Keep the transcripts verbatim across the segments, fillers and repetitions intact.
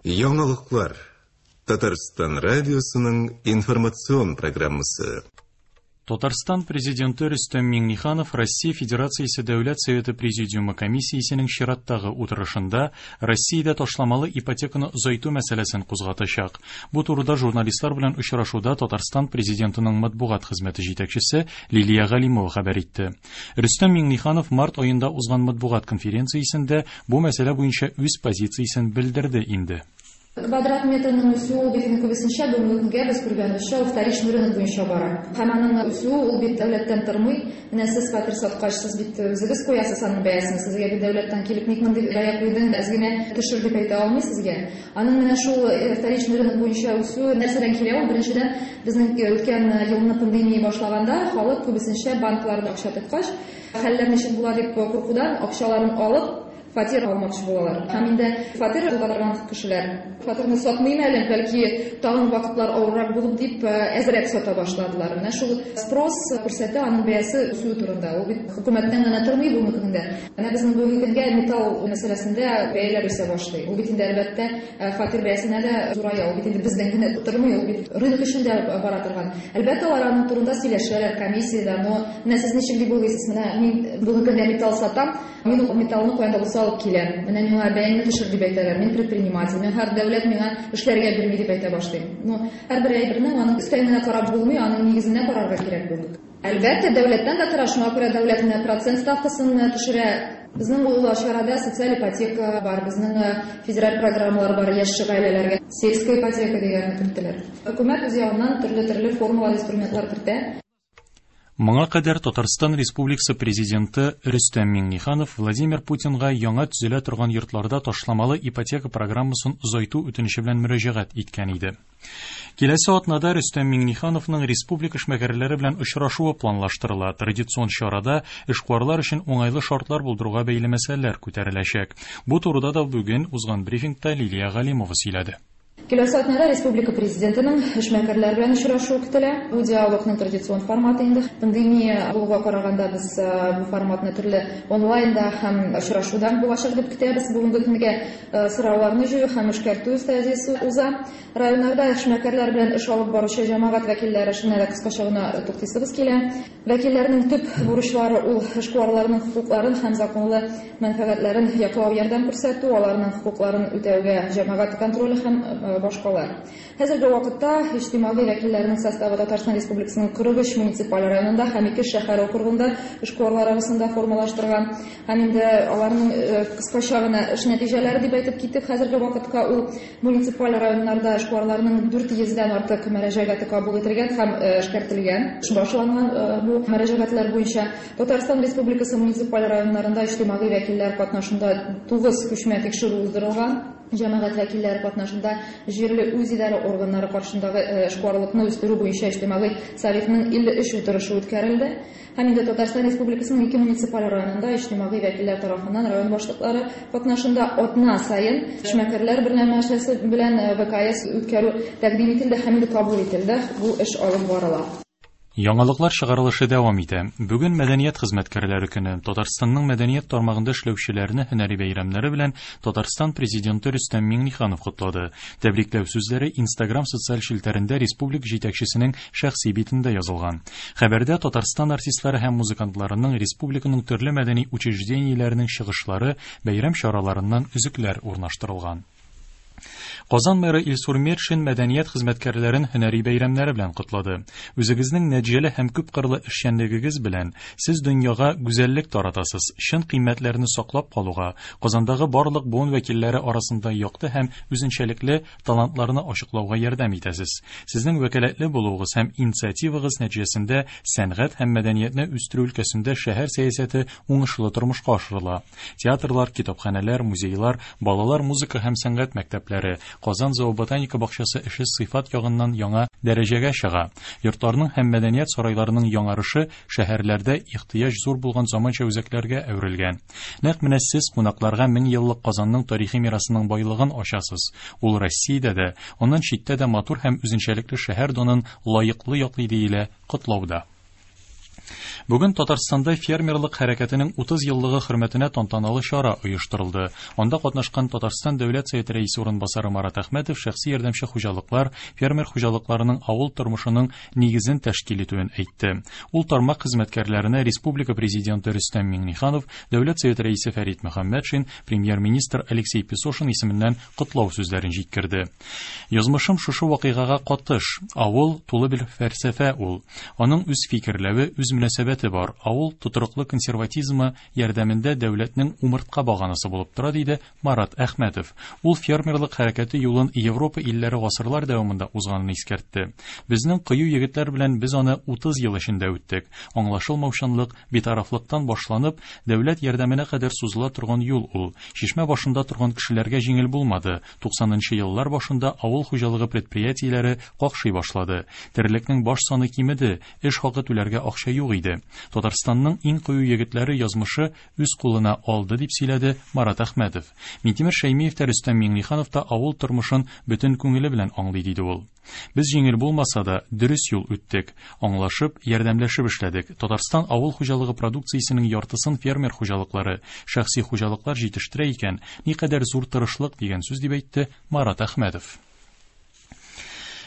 Яңалыклар. Татарстан радиосының информацион программасы. Татарстан президенты Рөстәм Миңнеханов Россия Федерациясе Дәүләт Советы Президиумы комиссиясенең чираттагы утырышында Россиядә ташламалы ипотеканы озайту мәсьәләсен кузгатачак. Бу турыда журналистлар белән очрашуда Татарстан президентының матбугат хезмәте җитәкчесе Лилия Галимова хәбәр итте. Рөстәм Миңнеханов март аенда узган матбугат конференциясендә бу мәсьәлә буенча үз позициясен белдерде инде. Квадрат метрының үсүе ул бит күбесенчә бүгенге көнгә без күргәнебезчә ул вторичный рынок буенча бара. Һәм аның үсүе ул бит дәүләттән тормый. Менә сез фатир саткач, сез бит үзегез куясыз аның бәясен. Сезгә бит дәүләттән килеп ник мондый бәя куйдың, әз генә төшер дип әйтә алмый сезгә. Аның менә шул вторичный рынок буенча үсүе нәрсәдән килә ул? Беренчедән, безнең үткән елны пандемия башлаганда халык күбесенчә банкларда акча тоткач, хәлләр ничек була дип куркудан акчаларын алып фатир алмакчы булалар. Һәм инде фатир ала торган кешеләр фатирны сатмыйм әле, бәлки тагын вакытлар авыррак булып дип әзрәк сата башладылар. Менә шул спрос күрсәтә аның бәясе үсүе турында. Ул бит хөкүмәттән генә тормый бүгенге көндә. Менә безнең бүгенге көнгә металл мәсьәләсендә бәяләр үсә башлый. Ул бит инде әлбәттә фатир бәясенә дә зурая. Ул бит инде бездән генә тормый, ул бит рынок эчендә бара торган. Әлбәттә, алар аның турында сөйләшәләр комиссиядә, но менә сез ничек дип уйлыйсыз? Менә мин бүгенге көндә металл сатам, мин ул металлны каян да булса алып киләм. Менә миңа бәяңне төшер дип әйтәләр. Мин предприниматель, мин һәр дәүләт миңа эшләргә бирми дип әйтә башлыйм. Ну, һәрбер әйбернең аның өстән генә карап булмый, аның нигезенә карарга кирәк бүген. Әлбәттә, дәүләттән дә тора, шуңа күрә дәүләт менә процент ставкасын төшерә. Безнең ул чарада социаль ипотека бар, безнең федераль программалар бар яшь гаиләләргә. Сельская ипотека дигәнне керттеләр. Хөкүмәт үз ягыннан төрле-төрле формалар, инструментлар кертә. Моңа кадәр Татарстан Республикасы президенты Рөстәм Миңнеханов Владимир Путинга яңа төзелә торган йортларда ташламалы ипотека программасын озайту үтенече белән мөрәҗәгать иткән иде. Киләсе атнада Рөстәм Миңнехановның республика эшмәкәрләре белән очрашуы планлаштырыла. Традицион чарада эшкуарлар өчен уңайлы шартлар булдыруга бәйле мәсьәләләр күтәреләчәк. Бу турыда да бүген узган брифингта Лилия Галимова сөйләде. Киләсе атнада республика президентының эшмәкәрләр белән очрашуы көтелә. Бу диалогның традицион форматы инде. Пандемия булуга караганда без бу форматны төрле онлайнда һәм очрашудан булачак дип көтәбез. Бүгенге көнгә сорауларны җыю һәм эшкәртү стадиясе уза. Районнарда эшмәкәрләр белән эш алып баручы җәмәгать вәкилләре эшенә дә кыскача гына туктыйсыбыз килә. Вәкилләрнең төп бурычлары ул эшкуарларның хокукларын һәм законлы мәнфәгатьләрен яклау, ярдәм күрсәтү, аларның хокукларын үтәүгә җәмәгать контроле һәм башкалар. Хәзерге вакытта иҗтимагый вәкилләрнең составы Татарстан Республикасының кырык өч муниципаль районында һәм ике шәһәр округында эшкуарлар арасында формалаштырган. Һәм инде аларның кыскача гына эш нәтиҗәләре дип әйтеп киттек. Хәзерге вакытка ул муниципаль районнарда эшкуарларның дүрт йөздән артык мөрәҗәгате кабул ителгән һәм эшкәртелгән. Башланган бу мөрәҗәгатьләр буенча Татарстан Республикасы муниципаль районнарында иҗтимагый вәкилләр катнашында тугыз күчмә тикшерү уздырылган. Җәмәгать вәкилләре катнашында җирле үзидарә органнары каршындагы эшкуарлыкны үстерү буенча иҗтимагый советның илле өч утырышы үткәрелде. Һәм инде Татарстан Республикасының ике муниципаль районында иҗтимагый вәкилләр тарафыннан район башлыклары катнашында атна саен эшмәкәрләр берләшмәсе белән вэ ка эс үткәрү тәкъдим ителде һәм инде кабул ителде. Бу эш алып барыла. Яңалыклар чыгарылышы дәвам итә. Бүген мәдәният хезмәткәрләре көне. Татарстанның мәдәният тармагында эшләүчеләрне һөнәри бәйрәмнәре белән Татарстан президенты Рөстәм Миңнеханов котлады. Тәбрикләү сүзләре Instagram социаль челтәрендә республика җитәкчесенең шәхси битендә язылган. Хәбәрдә Татарстан артистлары һәм музыкантларының республиканың төрле мәдәни учреждениеләренең чыгышлары, бәйрәм чараларыннан өзекләр урнаштырылган. Казан мэры Илсур Метшин мәдәният хезмәткәрләрен һөнәри бәйрәмнәре белән котлады. Үзегезнең нәтиҗәле һәм күпкырлы эшчәнлегегез белән сез дөньяга гүзәллек таратасыз, чын кыйммәтләрне саклап калуга, Казандагы барлык буын вәкилләре арасында якты һәм үзенчәлекле талантларны ачыклауга ярдәм итәсез. Сезнең вәкаләтле булуыгыз һәм инициативагыз нәтиҗәсендә сәнгать һәм мәдәниятне үстерү өлкәсендә шәһәр сәясәте уңышлы тормышка ашырыла. Театрлар, китапханәләр, музейлар, балалар музыка һәм сәнгать мәктәпләре, Казан зооботаника бакчасы эше сыйфат ягыннан яңа дәрәҗәгә чыга. Йортларның һәм мәдәният сарайларының яңарышы шәһәрләрдә ихтыяҗ зур булган заманча үзәкләргә әверелгән. Нәкъ менә сез кунакларга мең еллык Казанның тарихи мирасының байлыгын ачасыз. Ул Россиядә дә, аннан читтә дә матур һәм үзенчәлекле шәһәр данын лаеклы яклый диелә котлауда. Бүген Татарстанда фермерлык хәрәкәтенең утыз еллыгы хөрмәтенә тантаналы чара оештырылды. Анда катнашкан Татарстан Дәүләт Советы рәисе урынбасары Марат Әхмәтов шәхси ярдәмче хуҗалыклар, фермер хуҗалыкларының авыл тормышының нигезен тәшкил итүен әйтте. Ул тармак хезмәткәрләренә Республика Президенты Рөстәм Миңнеханов, Дәүләт Советы рәисе Фәрит Мөхәммәтшин, премьер-министр Алексей Песошин исеменнән котлау сүзләрен җиткерде. Язмышым шушы вакыйгага катыш. Авыл тулы бер фәлсәфә ул. Аның үз фикерләве, үз мөнәсәбәте бар. Авыл тотрыклы консерватизмы ярдәмендә дәүләтнең умыртка баганасы булып тора, диде Марат Әхмәтов. Ул фермерлык хәрәкәте юлын Европа илләре гасырлар дәвамында узганын искәртте. Безнең кыю егетләр белән без аны утыз ел эчендә үттек. Аңлашылмаучанлык, битарафлыктан башланып, дәүләт ярдәменә кадәр сузыла торган юл ул. Чишмә башында торган кешеләргә җиңел булмады. Туксанынчы еллар башында авыл хуҗалыгы предприятиеләре какшый башлады. Терлекнең баш саны кимеде, эш хакы түләргә акча юк иде. Татарстанның иң кыю егетләре язмышы үз кулына алды, дип сөйләде Марат Әхмәтов. Минтимер Шәймиев тә Рөстәм Миңнеханов та авыл тормышын бөтен күңеле белән аңлый, диде ул. Без җиңел булмаса да дөрес юл үттек, аңлашып, ярдәмләшеп эшләдек. Татарстан авыл хуҗалыгы продукциясенең яртысын фермер хуҗалыклары, шәхси хуҗалыклар җитештерә икән, никадәр зур тырышлык дигән сүз, дип әйтте Марат Әхмәтов.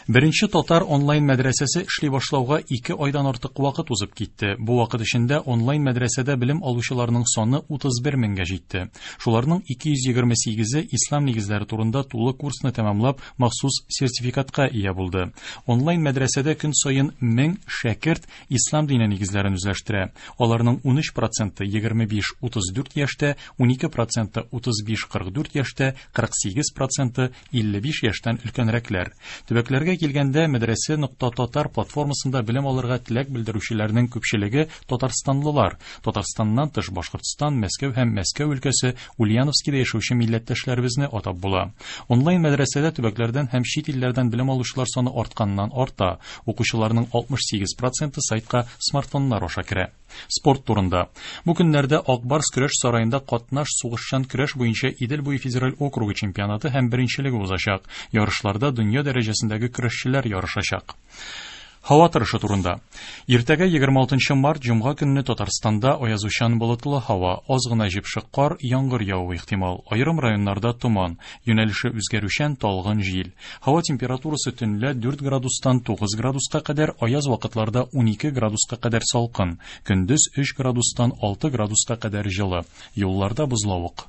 Беренче татар онлайн мәдрәсәсе эшли башлауга ике айдан артык вакыт узып китте. Бу вакыт эчендә онлайн мәдрәсәдә белем алучыларның саны утыз бер меңгә җитте. Шуларның ике йөз егерме сигезе ислам нигезләре турында тулы курсны тәмамлап, махсус сертификатка ия булды. Онлайн мәдрәсәдә көн саен мең шәкерт ислам дине нигезләрен үзләштерә. Аларның ун өч проценты егерме биш утыз дүрт яшьтә, ун ике проценты утыз биш кырык дүрт яшьтә, кырык сигез проценты илле биш яшьтән өлкәнрәкләр. Төбәкләргә килгәндә мәдрәсә нокта татар платформасында белем алырга теләк белдерүчеләрнең күпчелеге татарстанлылар. Татарстаннан тыш Башкортстан, Мәскәү һәм Мәскәү өлкәсе, Ульяновскида яшәүче милләттәшләребезне атап була. Онлайн мәдрәсәдә төбәкләрдән һәм чит илләрдән белем алучылар саны артканнан арта. Укучыларның алтмыш сигез проценты сайтка смартфоннар аша керә. Спорт турында. Бу көннәрдә Акбарс көрәш сараенда катнаш сугышчан көрәш буенча Идел буе федераль округы чемпионаты һәм беренчелеге узачак. Ярышларда дөнья дәрәҗәсендәге көрәшчеләр ярышачак. Һава торышы турында. Иртәгә егерме алтынчы март җомга көнне Татарстанда аязучан болытлы һава, аз гына җепшек кар, яңгыр явуы ихтимал. Аерым районнарда томан, юнәлеше үзгәрүчән талгын җил. Һава температурасы төнлә дүрт градустан тугыз градуска кадәр, аяз вакытларда ун ике градуска кадәр салкын, көндез өч градустан алты градуска кадәр җылы. Юлларда бозлавык.